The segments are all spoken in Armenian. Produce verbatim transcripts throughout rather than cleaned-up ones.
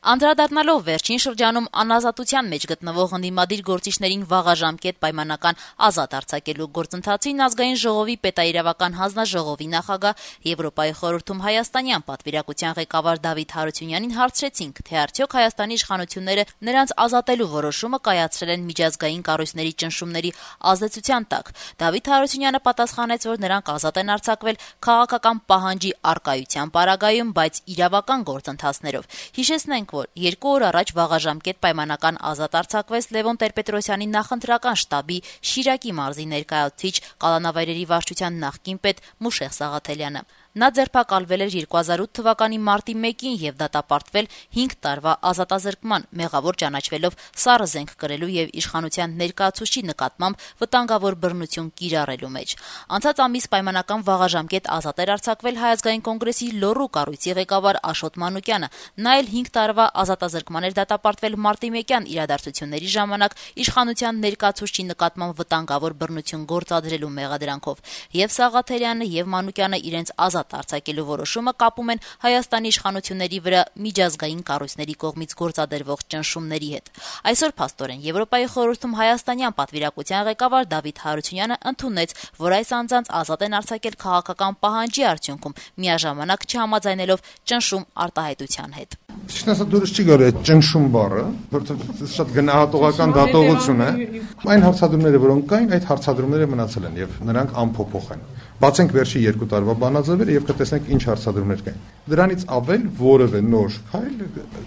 Անդրադառնալով վերջին շրջանում անազատության մեջ գտնվող ընդդիմադիր գործիչներին վաղաժամկետ պայմանական ազատ արձակելու գործընթացին Ազգային ժողովի պետաիրավական հանձնաժողովի նախագահ, Եվրոպայի խորհրդում հայաստանյան պատվիրակության ղեկավար Դավիթ Հարությունյանին հարցրեցինք, թե արդյոք Հայաստանի իշխանությունները նրանց ազատելու որոշումը կայացրել են միջազգային կառույցների ճնշումների ազդեցության տակ։ Դավիթ Հարությունյանը պատասխանեց, որ նրանք ազատ են արձակվել քաղաքական պահանջի առկայության պարագայում, բայց իրավական գործընթացներով։ Հիշեցնենք, որ երկու օր առաջ վաղաժամկետ պայմանական ազատ արձակվեց Լևոն Տեր-Պետրոսյանի նախընտրական շտաբի Շիրակի մարզի ներկայացուցիչ, Կալանավայրերի վարչության նախկին պետ Մուշեղ Սաղաթելյանը։ Նա ձերբակալվել էր երկու հազար ութ թվականի մարտի մեկին եւ դատապարտվել հինգ տարվա ազատազրկման, մեղավոր ճանաչվելով սառը զենք կրելու եւ իշխանության ներկայացուցչի նկատմամբ վտանգավոր բռնություն կիրառելու մեջ։ Անցած ամիս պայմանական վաղաժամկետ ազատ էր արձակվել Հայ ազգային կոնգրեսի լոռու կառույցի ղեկավար Աշոտ Մանուկյանը։ Նա էլ հինգ տարվա ազատազրկման էր դատապարտվել մարտի մեկյան իրադարձությունների ժամանակ իշխանության ներկայացուցչի նկատմամբ վտանգավոր բռնություն գործադրելու մեղադրանքով։ Եվ Սաղաթելյանը եւ Մանուկյանը իրենց ազատ արձակելու որոշումը կապում են Հայաստանի իշխանությունների վրա միջազգային կառույցների կողմից գործադրվող ճնշումների հետ։ Այսօր փաստորեն Եվրոպայի խորհրդում հայաստանյան պատվիրակության ղեկավար Դավիթ Հարությունյանը ընդունեց, որ այս անձանց ազատ են արձակել քաղաքական պահանջի արդյունքում, միաժամանակ չհամաձայնելով ճնշում արտահայտության հետ։ Ճիշտ ասած դուրս չի գալի այդ ճնշում բառը, որովհետեւ շատ գնահատողական դատողություն է։ Այն հարցադրումները, որոնք կային, այդ հարցադրումները մնացել են եւ նրանք անփոփոխ են։ Բացենք վերջի երկու տարվա բանաձևերը եւ կտեսնենք ինչ հարցադրումներ կային։ Դրանից ավել որևէ նոր քայլ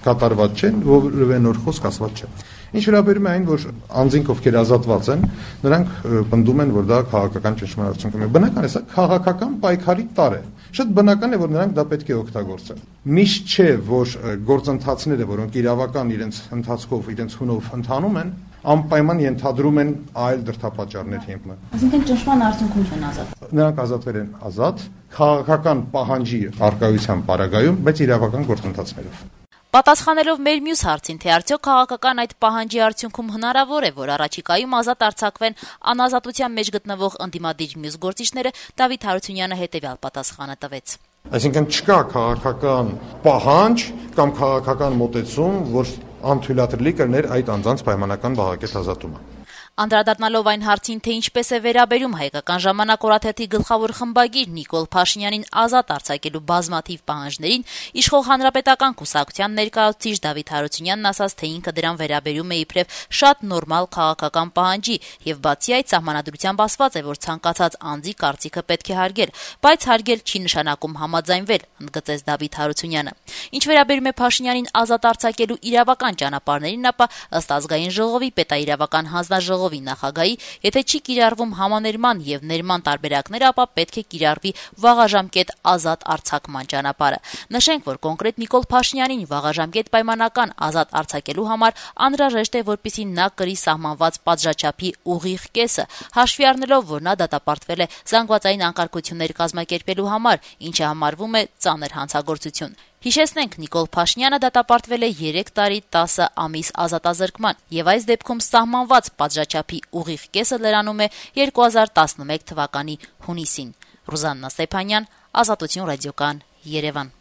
կատարված չէ, որևէ նոր խոսք ասված չէ։ Ինչ վերաբերում է այն, որ անձինք ովքեր ազատված են, նրանք պնդում են, որ դա քաղաքական ճնշման արդյունքում է։ Բնական է, սա քաղաքական պայքարի տար է։ Շատ բնական է, որ նրանք դա պետք է օգտագործեն։ Միշտ չէ, որ գործընթացները, որոնք իրավական իրենց ընթացքով, իրենց հունով ընթանում են, անպայման ենթադրում են այլ դրդապատճառներ հիմնը։ Այսինքն ճնշման արդյունքում չեն ազատ։ Նրանք ազատվել են ազատ, քաղաքական պահանջի առկայության պարագայում, բայց իրավական գործընթացներով։ Պատասխանելով մեր մյուս հարցին, թե արդյոք քաղաքական այդ պահանջի արդյունքում հնարավոր է, որ առաջիկայում ազատ արձակվեն անազատության մեջ գտնվող ընդդիմադիր մյուս գործիչները, Դավիթ Հարությունյանը հետևյալ պատասխանը տվեց։ Այսինքն չկա քաղաքական պահանջ կամ քաղաքական մոտեցում, որ անթույլատրելի կլներ այդ անձանց պայմանական վաղակետ ազատումը։ Անդրադառնալով այն հարցին, թե ինչպես է վերաբերում Հայկական ժամանակ օրաթերթի գլխավոր խմբագիր Նիկոլ Փաշինյանին ազատ արձակելու բազմաթիվ պահանջներին, իշխող հանրապետական կուսակցության ներկայացուցիչ Դավիթ Հարությունյանն ասաց, թե ինքը դրան վերաբերում է իբրև շատ նորմալ քաղաքական պահանջի եւ բացի այդ սահմանադրությամբ ասված է, որ ցանկացած անձի կարծիքը պետք է հարգել, բայց հարգել չի նշանակում համաձայնվել, ընդգծեց Դավիթ Հարությունյանը։ Ինչ վերաբերում է Փաշինյանին ազատ արձակելու իրավական ճանապարհներին, ապա ըստ Ազգային ժողովի պետաիրավական հանձնաժողովի նախագահի, եթե չի կիրառվում համաներման եւ ներման տարբերակները, ապա պետք է կիրառվի վաղաժամկետ ազատ արձակման ճանապարհը։ Նշենք, որ կոնկրետ Նիկոլ Փաշինյանին վաղաժամկետ պայմանական ազատ արձակելու համար անհրաժեշտ է, որպեսզի նա կրի սահմանված պատժաչափի ուղիղ կեսը, հաշվի առնելով, որ նա դատապարտվել է զանգվածային անկարգություններ կազմակերպելու համար, ինչը համարվում է ծանր հանցագործություն։ Հիշեցնենք, Նիկոլ Փաշինյանը դատապարտվել է երեք տարի տասը ամիս ազատազրկման եւ այս դեպքում սահմանված պատժաչափի ուղիղ կեսը լրանում է երկու հազար տասնմեկ թվականի հունիսին։ Ռուզաննա Ստեփանյան, Ազատություն ռադիոկան, Երևան։